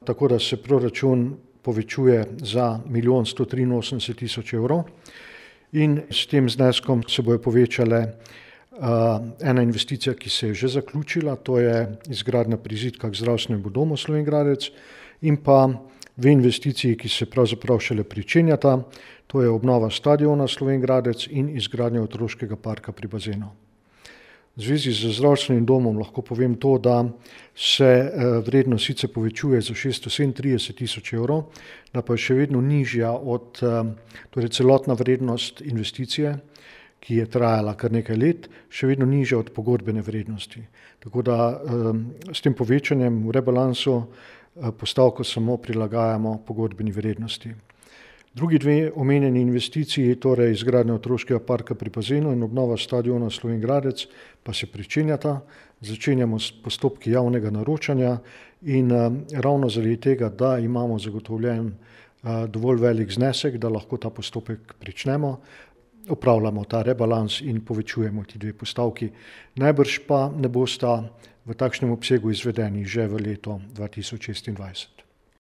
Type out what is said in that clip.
tako da se proračun povečuje za 1 183 000 evrov in s tem zneskom se bojo povečale ena investicija, ki se je že zaključila, to je izgradnja prizidka k zdravstvenemu domu Slovenj Gradec, in pa dve investiciji, ki se pravzaprav šele pričenjata, to je obnova stadiona Slovenj Gradec in izgradnja otroškega parka pri bazenu. V zvezi z zdravstvenim domom lahko povem to, da se vrednost sicer povečuje za 637 000 evrov, da pa je še vedno nižja od celotna vrednost investicije, ki je trajala kar nekaj let, še vedno nižja od pogodbene vrednosti. Tako da s tem povečanjem v rebalansu postavko samo prilagajamo pogodbeni vrednosti. Drugi dve omenjeni investiciji, torej izgradnja otroškega parka pri bazenu in obnova stadiona Slovenj Gradec, pa se pričenjata. Začenjamo s postopki javnega naročanja in ravno zaradi tega, da imamo zagotovljen dovolj velik znesek, da lahko ta postopek pričnemo, opravljamo ta rebalans in povečujemo ti dve postavki. Najbrž pa ne bosta v takšnem obsegu izvedeni že v letu 2026.